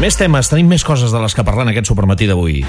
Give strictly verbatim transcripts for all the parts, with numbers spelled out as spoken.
Més temes, tenim més coses de les que parlar en aquest supermatí d'avui.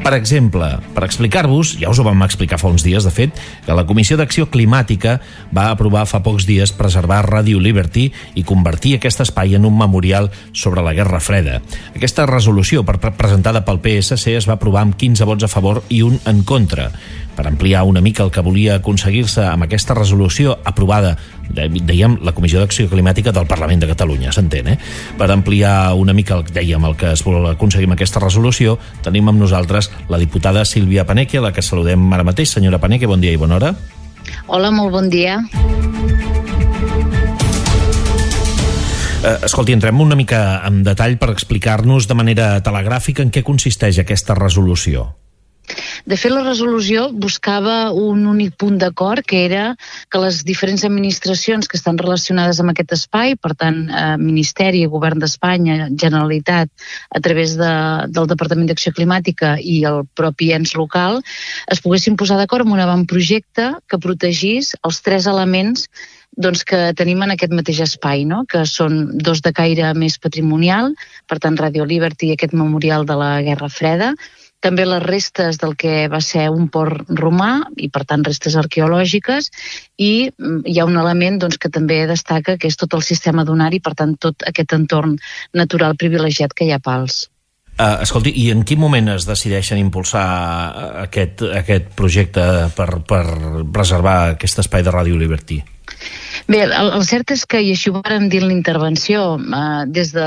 Per exemple, per explicar-vos, ja us ho vam explicar fa uns dies, de fet, que la Comissió d'Acció Climàtica va aprovar fa pocs dies preservar Radio Liberty i convertir aquest espai en un memorial sobre la Guerra Freda. Aquesta resolució, presentada pel P S C, es va aprovar amb quinze vots a favor i un en contra. Per ampliar una mica el que volia aconseguir-se amb aquesta resolució aprovada, dèiem, la Comissió d'Acció Climàtica del Parlament de Catalunya, s'entén, eh? Per ampliar una mica, el, dèiem, el que es vol aconseguir amb aquesta resolució, tenim amb nosaltres la diputada Sílvia Paneque, a la que saludem ara mateix. Senyora Paneque, bon dia i bona hora. Hola, molt bon dia. Eh, escolti, entrem una mica en detall per explicar-nos de manera telegràfica en què consisteix aquesta resolució. De fet, la resolució buscava un únic punt d'acord, que era que les diferents administracions que estan relacionades amb aquest espai, per tant, eh, Ministeri, Govern d'Espanya, Generalitat, a través de, del Departament d'Acció Climàtica i el propi ens local, es poguessin posar d'acord en un avantprojecte que protegís els tres elements doncs, que tenim en aquest mateix espai, no? Que són dos de caire més patrimonial, per tant, Radio Liberty i aquest memorial de la Guerra Freda, també les restes del que va ser un port romà i, per tant, restes arqueològiques, i hi ha un element doncs, que també destaca, que és tot el sistema dunari, per tant, tot aquest entorn natural privilegiat que hi ha a Pals. Uh, escolti, i en quin moment es decideixen impulsar aquest, aquest projecte per, per preservar aquest espai de Radio Liberty? Bé, el, el cert és que, i així ho vàrem dir en l'intervenció, eh, des de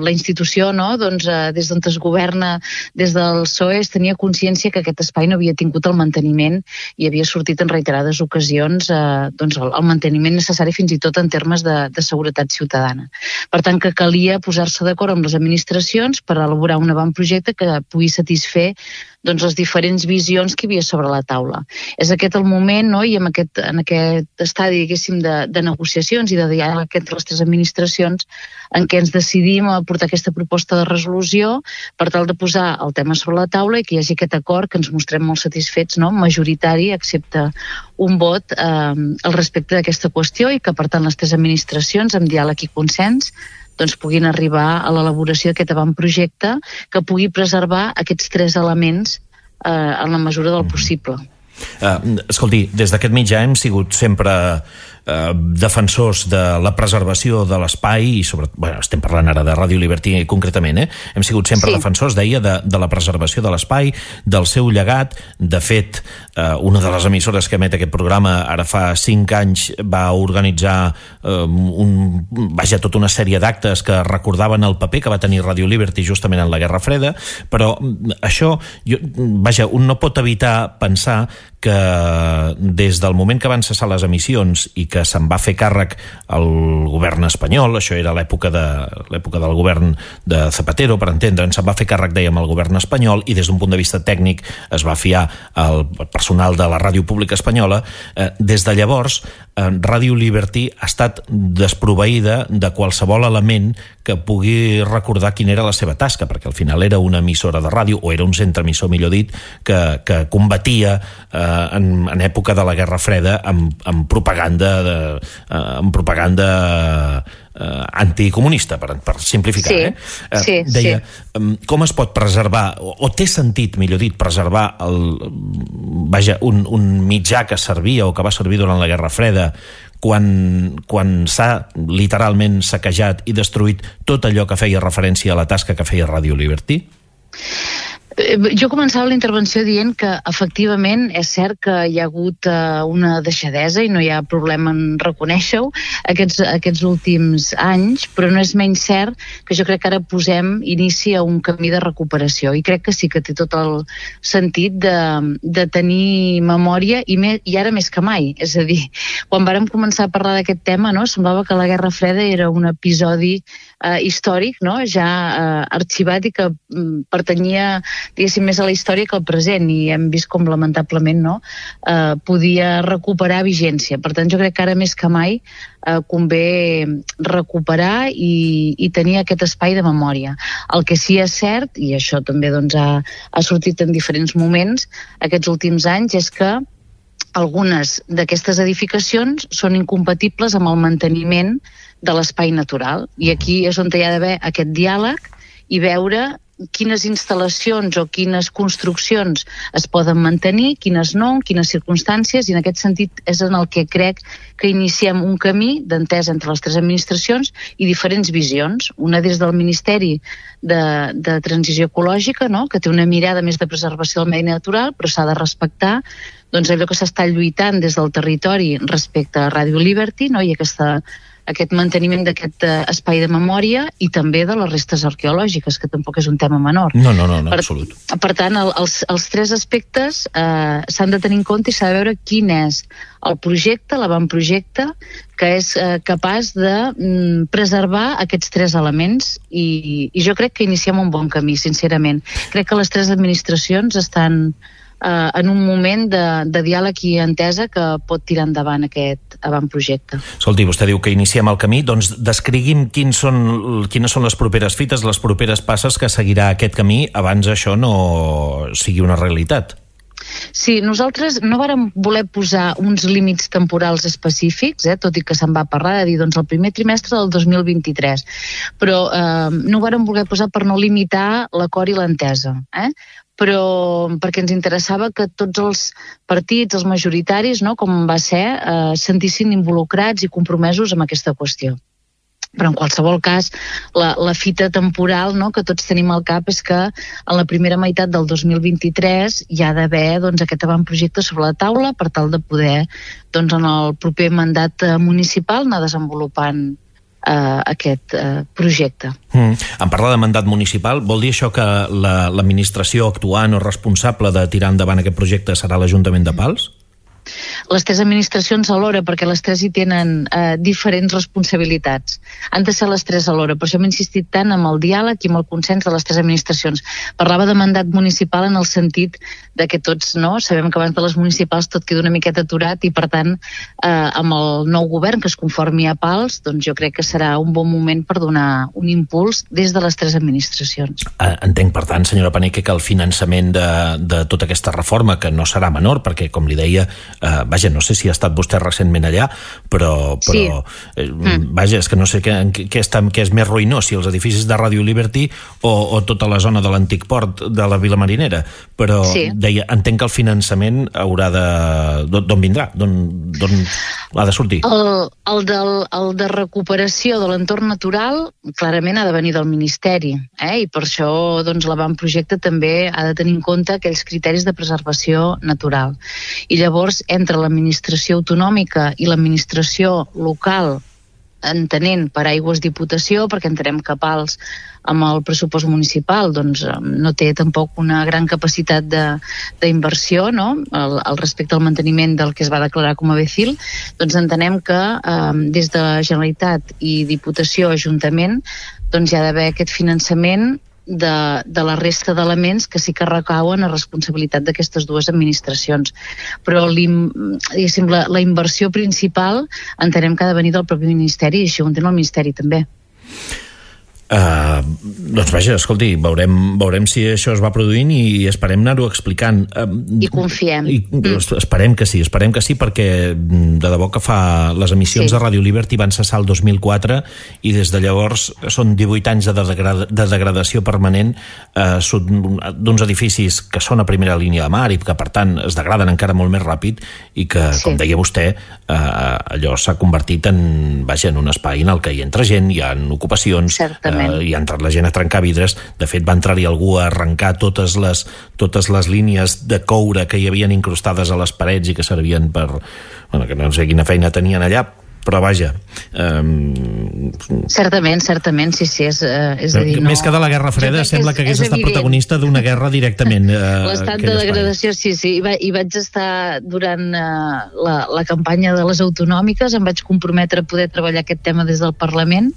la institució, no? doncs, eh, des d'on es governa, des del P S O E, es tenia consciència que aquest espai no havia tingut el manteniment i havia sortit en reiterades ocasions eh, doncs el, el manteniment necessari fins i tot en termes de, de seguretat ciutadana. Per tant, que calia posar-se d'acord amb les administracions per elaborar un avantprojecte que pugui satisfer doncs, les diferents visions que hi havia sobre la taula. És aquest el moment, no? I en aquest, en aquest estadi, diguéssim, de, de negociacions i de diàleg entre les tres administracions en què ens decidim a portar aquesta proposta de resolució per tal de posar el tema sobre la taula i que hi hagi aquest acord que ens mostrem molt satisfets, no? Majoritari, excepte un vot eh, al respecte d'aquesta qüestió, i que, per tant, les tres administracions, amb diàleg i consens, doncs puguin arribar a l'elaboració d'aquest avantprojecte que pugui preservar aquests tres elements eh, en la mesura del possible. Uh, escolti, des d'aquest mitjà hem sigut sempre uh, defensors de la preservació de l'espai i sobre, bueno, estem parlant ara de Radio Liberty concretament, eh? Hem sigut sempre sí. defensors, deia, de, de la preservació de l'espai, del seu llegat. De fet, uh, una de les emissores que emet aquest programa ara fa cinc anys va organitzar uh, un, vaja, tota una sèrie d'actes que recordaven el paper que va tenir Radio Liberty justament en la Guerra Freda, però això, jo, vaja, un no pot evitar pensar que des del moment que van cessar les emissions i que se'n va fer càrrec el govern espanyol, això era l'època de l'època del govern de Zapatero, per entendre'ns, se'n va fer càrrec, dèiem, el govern espanyol, i des d'un punt de vista tècnic es va fiar al personal de la Ràdio Pública Espanyola. Eh, des de llavors, eh, Radio Liberty ha estat desproveïda de qualsevol element que pugui recordar quina era la seva tasca, perquè al final era una emissora de ràdio, o era un centre emissor, millor dit, que, que combatia eh, en, en època de la Guerra Freda amb, amb propaganda de, eh, amb propaganda eh, anticomunista, per, per simplificar. Sí, eh? Eh, sí, deia, sí. Com es pot preservar, o, o té sentit, millor dit, preservar el, vaja, un, un mitjà que servia o que va servir durant la Guerra Freda quan, quan s'ha literalment saquejat i destruït tot allò que feia referència a la tasca que feia Radio Liberty? Jo començava la intervenció dient que efectivament és cert que hi ha hagut uh, una deixadesa i no hi ha problema en reconèixer-ho aquests, aquests últims anys, però no és menys cert que jo crec que ara posem inici a un camí de recuperació, i crec que sí que té tot el sentit de, de tenir memòria, i, me, i ara més que mai. És a dir, quan vàrem començar a parlar d'aquest tema, no, semblava que la Guerra Freda era un episodi uh, històric, no, ja uh, arxivat, i que um, pertanyia, diguéssim, més a la història que al present, i hem vist com lamentablement no, eh, podia recuperar vigència. Per tant, jo crec que ara més que mai eh, convé recuperar i, i tenir aquest espai de memòria. El que sí és cert, i això també doncs, ha, ha sortit en diferents moments aquests últims anys, és que algunes d'aquestes edificacions són incompatibles amb el manteniment de l'espai natural, i aquí és on hi ha d'haver aquest diàleg i veure quines instal·lacions o quines construccions es poden mantenir, quines no, en quines circumstàncies, i en aquest sentit és en el que crec que iniciem un camí d'entesa entre les tres administracions i diferents visions. Una des del Ministeri de, de Transició Ecològica, no?, que té una mirada més de preservació del medi natural, però s'ha de respectar doncs, allò que s'està lluitant des del territori respecte a Radio Liberty, no?, i aquesta aquest manteniment d'aquest eh, espai de memòria i també de les restes arqueològiques, que tampoc és un tema menor. No, no, no, no per, absolut. Per tant, el, els, els tres aspectes eh, s'han de tenir en compte i s'ha de veure quin és el projecte, l'avantprojecte, que és eh, capaç de mm, preservar aquests tres elements i, i jo crec que iniciem un bon camí, sincerament. Crec que les tres administracions estan eh, en un moment de, de diàleg i entesa que pot tirar endavant aquest avantprojecte. Escolti, vostè diu que iniciem el camí, doncs descrigui'm quins són, quines són les properes fites, les properes passes que seguirà aquest camí abans això no sigui una realitat. Sí, nosaltres no vàrem voler posar uns límits temporals específics, eh, tot i que se'n va parlar de dir doncs, el primer trimestre del dos mil vint-i-tres, però eh, no ho vàrem voler posar per no limitar l'acord i l'entesa, eh? però perquè ens interessava que tots els partits, els majoritaris, no, com va ser, eh, sentissin involucrats i compromesos amb aquesta qüestió. Però en qualsevol cas, la, la fita temporal, no, que tots tenim al cap és que en la primera meitat del dos mil vint-i-tres hi ha d'haver doncs, aquest avantprojecte sobre la taula per tal de poder doncs, en el proper mandat municipal anar desenvolupant Uh, aquest uh, projecte. Mm. En parlar de mandat municipal, vol dir això que la, l'administració actuant o responsable de tirar endavant aquest projecte serà l'Ajuntament de Pals? Les tres administracions alhora, perquè les tres hi tenen eh, diferents responsabilitats. Han de ser les tres alhora, per això hem insistit tant amb el diàleg i amb el consens de les tres administracions. Parlava de mandat municipal en el sentit de que tots, no, sabem que abans de les municipals tot queda una miqueta aturat i per tant eh, amb el nou govern que es conformi a Pals, doncs jo crec que serà un bon moment per donar un impuls des de les tres administracions. Entenc, per tant, senyora Paneque, que el finançament de, de tota aquesta reforma, que no serà menor, perquè, com li deia, Uh, vaja, no sé si ha estat vostè recentment allà, però, però sí. eh, mm. vaja, és que no sé què, què, està, què és més ruïnós, si els edificis de Radio Liberty o, o tota la zona de l'antic port de la Vila Marinera, però sí. deia, entenc que el finançament haurà de... d'on vindrà? D'on ha de sortir? El, el, del, el de recuperació de l'entorn natural clarament ha de venir del Ministeri, eh? I per això doncs, l'avantprojecte també ha de tenir en compte aquells criteris de preservació natural. I llavors entre l'administració autonòmica i l'administració local, entenent per Aigües Diputació, perquè entenem que Pals amb el pressupost municipal doncs, no té tampoc una gran capacitat d'inversió, no? al, al respecte al manteniment del que es va declarar com a B C I L, doncs entenem que eh, des de Generalitat i Diputació, Ajuntament, doncs hi ha d'haver aquest finançament De, de la resta d'elements que sí que recauen a responsabilitat d'aquestes dues administracions. Però la, la inversió principal entenem que ha de venir del propi Ministeri i això ho entén el Ministeri també. Uh, doncs vaja, escolti, veurem, veurem si això es va produint i esperem anar-ho explicant. Uh, I confiem. I, mm. Esperem que sí, esperem que sí, perquè de debò que fa... Les emissions sí. de Radio Liberty van cessar el dos mil quatre i des de llavors són divuit anys de, degrada, de degradació permanent uh, d'uns edificis que són a primera línia de mar i que per tant es degraden encara molt més ràpid i que, sí. com deia vostè, uh, allò s'ha convertit en, vaja, en un espai en el que hi entra gent, hi ha ocupacions, certament. Uh, i ha entrat la gent a trencar vidres. De fet, va entrar-hi algú a arrencar totes les, totes les línies de coure que hi havien incrustades a les parets i que servien per... Bueno, que no sé quina feina tenien allà, però vaja... Um... Certament, certament, sí, sí, és, és a dir... No... Més que de la Guerra Freda, sembla que, és, que hagués estat evident. Protagonista d'una guerra directament. Uh, L'estat de degradació, sí, sí. I, va, i vaig estar durant uh, la, la campanya de les autonòmiques, em vaig comprometre a poder treballar aquest tema des del Parlament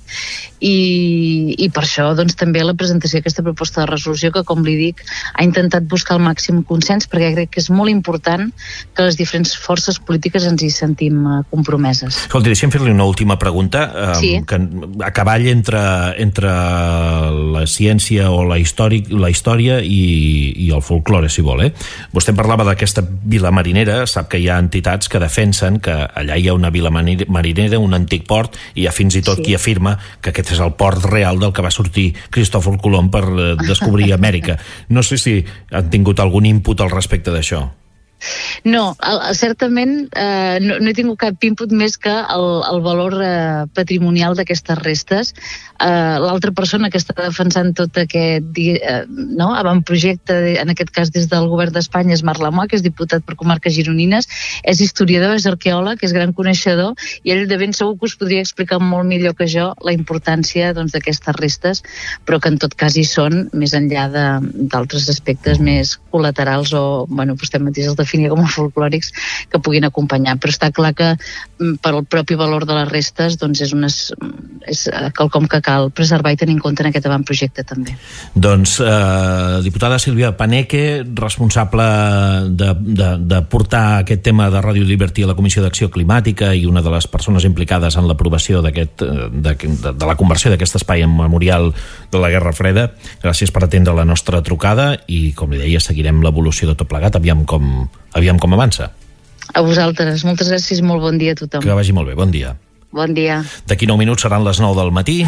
i, i per això doncs, també la presentació d'aquesta proposta de resolució que, com li dic, ha intentat buscar el màxim consens perquè crec que és molt important que les diferents forces polítiques ens hi sentim uh, compromeses. Escolti, deixem fer-li una última pregunta, eh, Sí. que a cavall entre, entre la ciència o la història, la història i, i el folklore, si vol. Eh? Vostè parlava d'aquesta vila marinera, sap que hi ha entitats que defensen que allà hi ha una vila marinera, un antic port, i hi ha fins i tot sí. qui afirma que aquest és el port real del que va sortir Cristòfor Colom per descobrir Amèrica. No sé si han tingut algun input al respecte d'això. No, el, certament eh, no, no he tingut cap input més que el, el valor eh, patrimonial d'aquestes restes. Eh, L'altra persona que està defensant tot aquest eh, no, avantprojecte, en aquest cas des del govern d'Espanya, és Marc Lamoa, que és diputat per comarques gironines, és historiador, és arqueòleg, és gran coneixedor, i ell de ben segur que us podria explicar molt millor que jo la importància doncs, d'aquestes restes, però que en tot cas hi són, més enllà d'altres aspectes més col·laterals o, bueno, vostè mateix els definia com a folclòrics, que puguin acompanyar. Però està clar que per al propi valor de les restes doncs és, unes, és quelcom que cal preservar i tenir en compte en aquest avantprojecte també. Doncs, eh, diputada Sílvia Paneque, responsable de, de, de portar aquest tema de Ràdio Liberty a la Comissió d'Acció Climàtica i una de les persones implicades en l'aprovació d'aquest, de, de, de la conversió d'aquest espai en memorial de la Guerra Freda. Gràcies per atendre la nostra trucada i, com li deia, seguirem l'evolució de tot plegat, aviam com, aviam com avança. A vosaltres, moltes gràcies, molt bon dia a tothom. Que vagi molt bé, bon dia. Bon dia. D'aquí nou minuts seran les nou del matí.